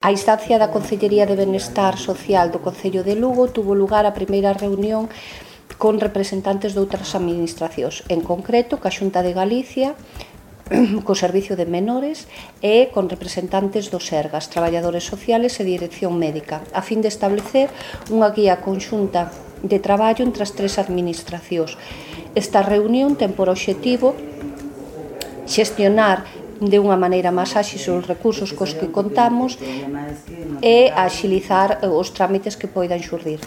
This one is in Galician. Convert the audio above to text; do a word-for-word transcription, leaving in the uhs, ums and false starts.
A instancia da Concellería de Benestar Social do Concello de Lugo tuvo lugar a primeira reunión con representantes de outras administracións, en concreto ca Xunta de Galicia, co Servicio de Menores e con representantes do Sergas, traballadores sociales e dirección médica, a fin de establecer unha guía conxunta de traballo entre as tres administracións. Esta reunión ten por obxectivo xestionar de unha maneira máis áxil os recursos cos que contamos e axilizar os trámites que poidan xurdir.